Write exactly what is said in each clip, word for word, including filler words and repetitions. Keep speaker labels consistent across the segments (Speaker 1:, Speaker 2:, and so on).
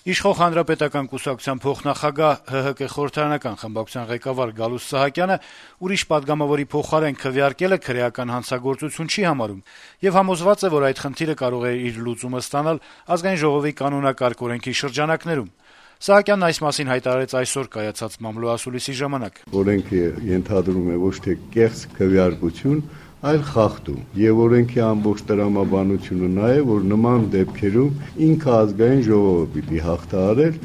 Speaker 1: Իշխող Հանրապետական կուսակցության փոխնախագահ ՀՀԿ խորհրդարանական խմբակցության ղեկավար Գալուստ Սահակյանը ուրիշ պատգամավորի փոխարեն քվեարկելը քրեական հանցագործություն չի համարում եւ համոզված է, որ այդ խնդիրը կարող է իր լուծումը ստանալ Ազգային ժողովի կանոնակարգ օրենքի շրջանակներում։ Սահակյանն այս մասին հայտարարեց այսօր կայացած մամլոասուլիսի ժամանակ։
Speaker 2: Օրենքը ենթադրում է ոչ թե կեղծ քվեարկություն, այլ խախտում, եւ օրենքի ամբողջ տրամաբանությունը նա է, որ նման դեպքերում ինքը Ազգային ժողովը պիտի հաղթահարել։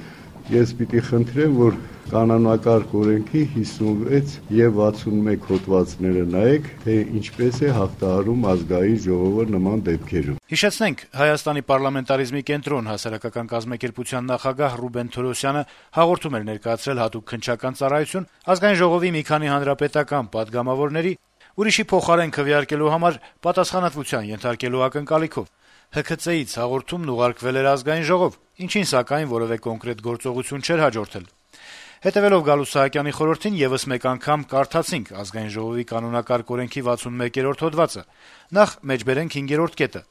Speaker 2: Ես պիտի խնդրեմ, որ կանոնակարգ օրենքի հիսունվեց եւ վաթսունմեկ հոդվածները նայեք, թե ինչպես է հաղթահարում Ազգային ժողովը նման դեպքերում։
Speaker 1: Հիշեցնենք, Հայաստանի պարլամենտարիզմի կենտրոն հասարակական կազմակերպության նախագահ Ռուբեն Թորոսյանը հաղորդում էր ներկայացրել հատուկ քննչական ծառայություն Ազգային ժողովի մի քանի հանրապետական պատգամավորների ուրիշի փոխարեն քվեարկելու համար պատասխանատվության ենթարկելու ակնկալիքով։ ՀՔՑ-ից հաղորդումն ուղարկվել էր Ազգային ժողով, ինչին սակայն որևէ կոնկրետ գործողություն չէր հաջորդել։ Հետևելով Գալուստ Սահակյանի խորհրդին եւս մեկ անգամ կարդացինք Ազգային ժողովի կանոնակարգ օրենքի վաթսունմեկերորդ հոդվածը։ Նախ մեջբերենք հինգերորդ կետը։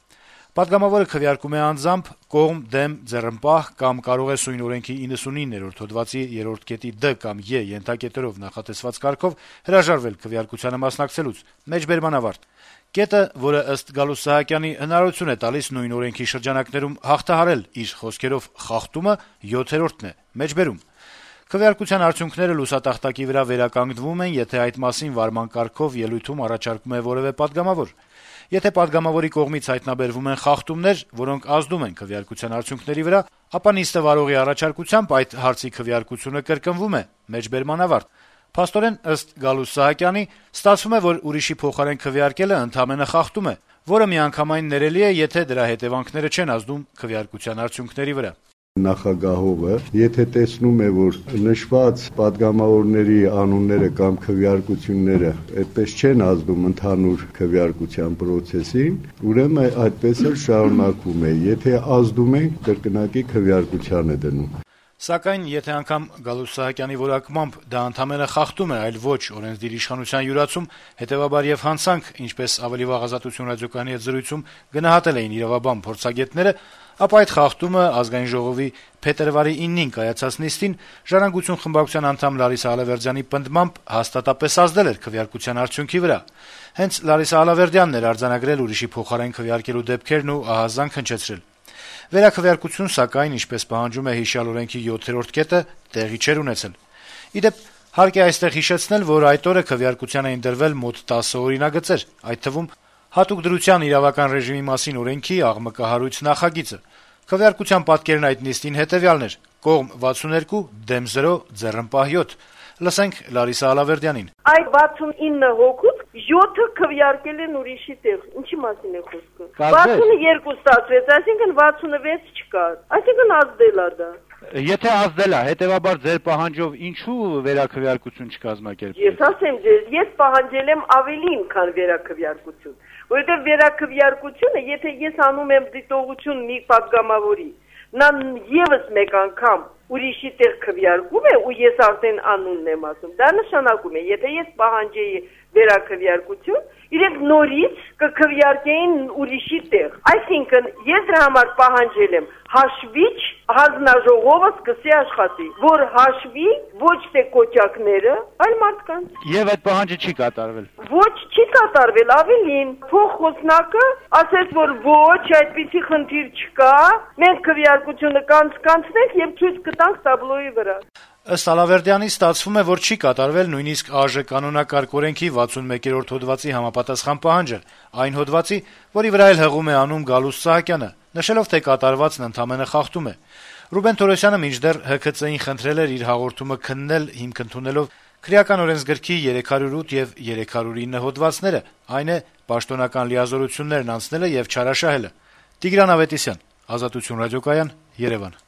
Speaker 1: Պատգամավորը քվեարկում է անձամբ, կողմ, դեմ, ձեռնպահ կամ կարող է սույն օրենքի իննսունիններորդ հոդվածի երրորդ կետի Դ կամ Ե ենթակետերով նախատեսված կարգով հրաժարվել քվեարկությանը մասնակցելուց։ Մեջբերման ավարտ։ Կետը, որը ըստ Գալուստ Սահակյանի հնարավորություն է տալիս նույն օրենքի շրջանակներում հաղթահարել իր խոսքերով խախտումը, յոթերորդն է։ Մեջբերում։ Քվեարկության արդյունքները լուսատախտակի վրա վերականգնվում են, եթե այդ մասին վարման կարգով ելույթում առաջարկում է որևէ պատգամավոր։ Եթե պատգամավորի կողմից հայտնաբերվում են խախտումներ, որոնք ազդում են քվեարկության արդյունքների վրա, ապա նիստը վարողի առաջարկությամբ այդ հարցի քվեարկությունը կրկնվում է։ Մեջբերման ավարտ։ Փաստորեն, ըստ Գալուստ Սահակյանի, ստացվում է, որ ուրիշի փոխարեն քվեարկելը ընդամենը խախտում է, որը միանգամայն ներելի է, եթե դրա հետեւանքները չեն ազդում քվեարկության արդյունքների վրա։
Speaker 2: Նախագահողը, եթե տեսնում է, որ նշված պատգամավորների անունները կամ քվեարկությունները այդպես չեն ազդում ընդհանուր քվեարկության process-ին, ուրեմն այդպես էլ շարունակում է, եթե ազդում են, կրկնակի քվեարկության է դնում։
Speaker 1: Սակայն, եթե անգամ Գալուստ Սահակյանի որակմամբ դա ընդամենը խախտում է, այլ ոչ օրենսդիր իշխանության յուրացում, հետեւաբար եւ հանցանք, ինչպես ավելի վաղ Ազատություն ռադիոկայանի հետ զրույցում գնահատել էին իրավաբան փորձագետները, ապա այդ խախտումը Ազգային ժողովի փետրվարի իննին կայացած նիստին Ժառանգություն խմբակցության անդամ Լարիսա Ալավերդյանի պնդմամբ հաստատապես ազդել էր քվեարկության արդյունքի վրա։ Հենց Լարիսա Ալավերդյանն էր արձանագրել ուրիշի փոխարեն քվեարկելու դեպքերն ու ահազանգ հնչեցրել։ Վերաքվեարկություն, սակայն, ինչպես պահանջում է հիշյալ օրենքի յոթերորդ կետը, տեղի չէր ունեցել։ Իդեպ, հարկ է այստեղ հիշեցնել, որ այդ օրը քվեարկության էին դրվել մոտ տասը օրինագծեր, այդ թվում հատուկ դրության իրավական ռեժիմի մասին օրենքի աղմկահարույց նախագիծը։ Քվեարկության պատկերն այդ նիստին հետեւյալն էր. կողմ վաթսուններկու, դեմ զրո, ձեռնպահ յոթ։ Լսենք Լարիսա Ալավերդյանին։
Speaker 3: Այդ վաթսունինը հոգուց յոթը քվեարկել են ուրիշի տեղ։ Ինչի մասին է խոսքը։ վաթսունյոթ ստացվեց, այսինքն վաթսունվեց չկար։ Այսինքն ազդել է դա։
Speaker 4: Եթե ազդել է, հետեւաբար ձեր պահանջով ինչու վերաքվեարկություն չկազմակերպվեց։
Speaker 3: Ես ասեմ ձեզ, ես պահանջել եմ ավելին, քան վերաքվեարկություն, որովհետեւ վերաքվեարկությունը, եթե ես անում եմ դիտողություն մի պատգամավորի, նա եւս մեկ անգամ ուրիշի տեղ քվեարկում է ու ես արդեն անունն եմ ասում, դա նշանակում է, եթե ես պահանջեի վերաքվեարկություն, իրենք նորից կքվեարկեին ուրիշի տեղ։ Այսինքն, ես դրա համար պահանջել եմ հաշվիչ հանձնաժողովը սկսի աշխատի, որ հաշվի ոչ թե կոճակները, այլ մարդկանց։
Speaker 4: Եվ այդ պահանջը չի կատարվել։
Speaker 3: Ոչ, չի կատարվել, ավելին, փոխխոսնակը ասեց, որ ոչ, այդպիսի խնդիր չկա, մենք քվեարկությունը կանցնենք եւ ցույց կտանք տաբլոյի վրա։
Speaker 1: Ըստ Ալավերդյանի ստացվում է, որ չի կատարվել նույնիսկ ԱԺ կանոնակարգ օրենքի վաթսունմեկերորդ հոդվածի համապատասխան պահանջը, այն հոդվածի, որի վրա էլ հղում է անում Գալուստ Սահակյանը, նշելով, թե կատարվածն ընդամենը խախտում է։ Ռուբեն Թորոսյանը մինչդեռ ՀՔՑ-ին խնդրել էր իր հաղորդումը քննել հիմք ընդունելով Քրեական օրենսգրքի երեք հարյուր ութ եւ երեք հարյուր ինը հոդվածները, այն է պաշտոնական լիազորություններն անցնելը եւ չարաշահելը։ Տիգրան Ավետիսյան, Ազատություն ռադիոկայան, Երևան։